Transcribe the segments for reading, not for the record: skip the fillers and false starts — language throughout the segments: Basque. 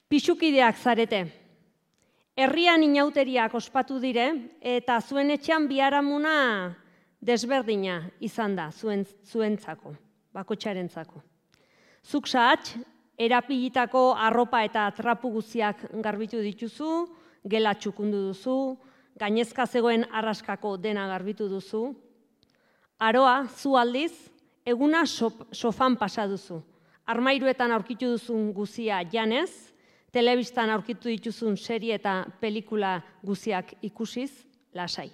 Pixukideak zarete. Herrian inauteriak ospatu dire eta zuen etxean biharamuna desberdina izan da zuentzako, bakotxarentzako. Zuk sahats, erapilitako arropa eta trapu guztiak garbitu dituzu, gela txukundu duzu, gainezka zegoen arraskako dena garbitu duzu. Aroa, zu aldiz, eguna sofan pasa duzu. Armairuetan aurkitu duzun guzia janez, telebistan aurkitu dituzun serie eta pelikula guztiak ikusiz, lasai.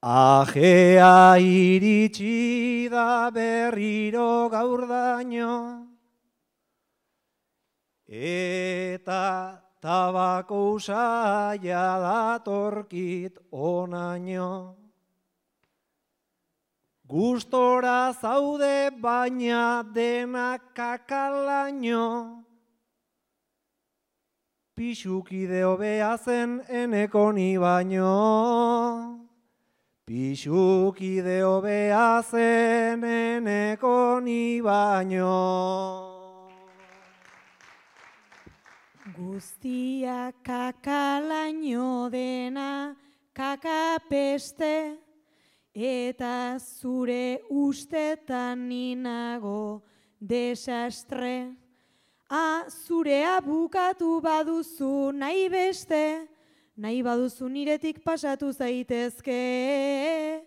Ajea iritsi da berriro gaurdaino, eta tabako usaia datorkit onaino. Gustora zaude baina denak kakalaino, pixukide hobea zen eneko ni baino. Pixukide hobea zen eneko ni baino. Guztia kakalaino dena kakapeste, eta zure ustetan ninago desastre. Zurea bukatu baduzu nahi beste, nahi baduzu niretik pasatu zaitezke.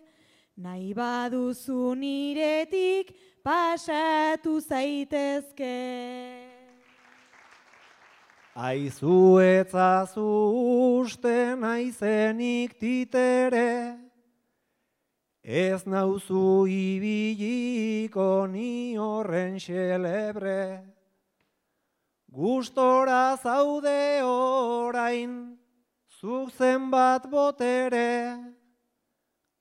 Nahi baduzu niretik pasatu zaitezke. Aizu etzazu uste naizenik titere, ez nauzu ibiliko ni horren xelebre. Gustora zaude orain, zuk zenbat botere,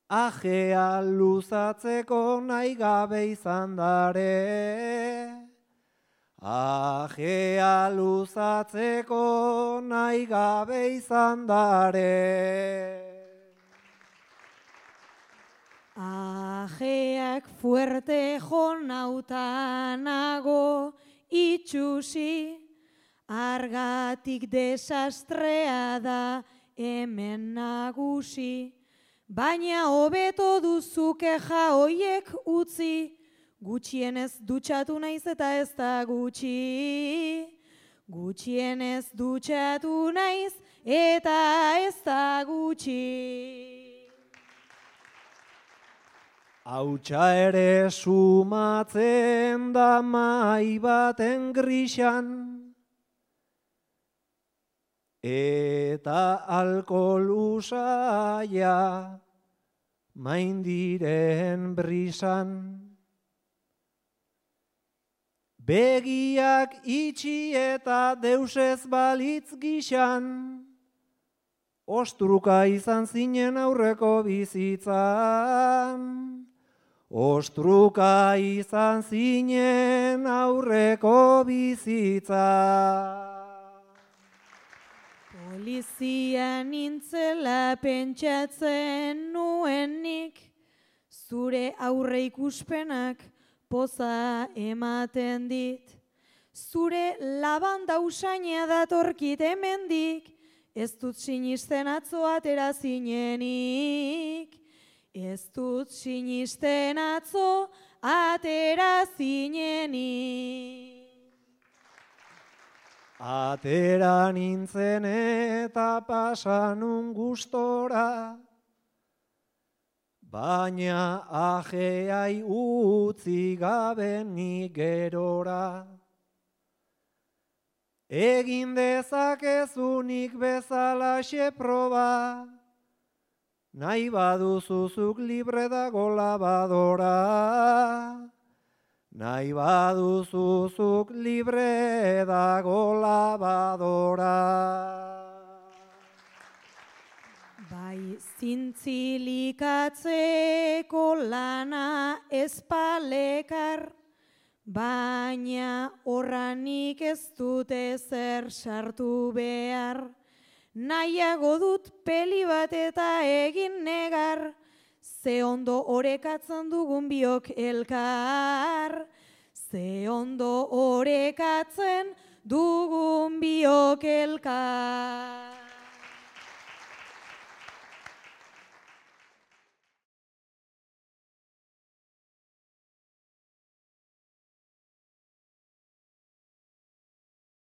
ajea luzatzeko nahi gabe izan dare. Ajea luzatzeko nahi gabe izan dare. Ajeak fuerte jonautanago itxusi, argatik desastrea da hemen nagusi. Baina hobeto duzu keja hoiek utzi, gutxienez dutxatu naiz eta ez da gutxi. Gutxienez dutxatu naiz eta ez da gutxi. Hautsa ere sumatzen da mai baten grisan, eta alkohol usaia maindiren brisan. Begiak itxi eta deusez balitz gixan, ostruka izan zinen aurreko bizitzan. Ostruka izan zinen aurreko bizitzan. Polizia nintzela pentsatzen nuenik, zure aurre ikuspenak poza ematen dit. Zure labanda usaina datorkit hemendik, ez dut sinisten atzo atera zinenik. Ez dut sinisten atzo atera zinenik. Atera nintzen eta pasanun gustora, baina ajeai utzi gabe ni gerora. Egin dezakezunik bezalaxe proba, nahi baduzuzuk libre dago labadora. Nahi baduzuzuk libre dago labadora. Bai zintzilikatzeko lana ezpalekar, baina horranik ez dute zer sartu behar. Nahiago dut peli bat eta egin negar, ze ondo orekatzen dugun biok elkar. Ze ondo orekatzen biok elkar.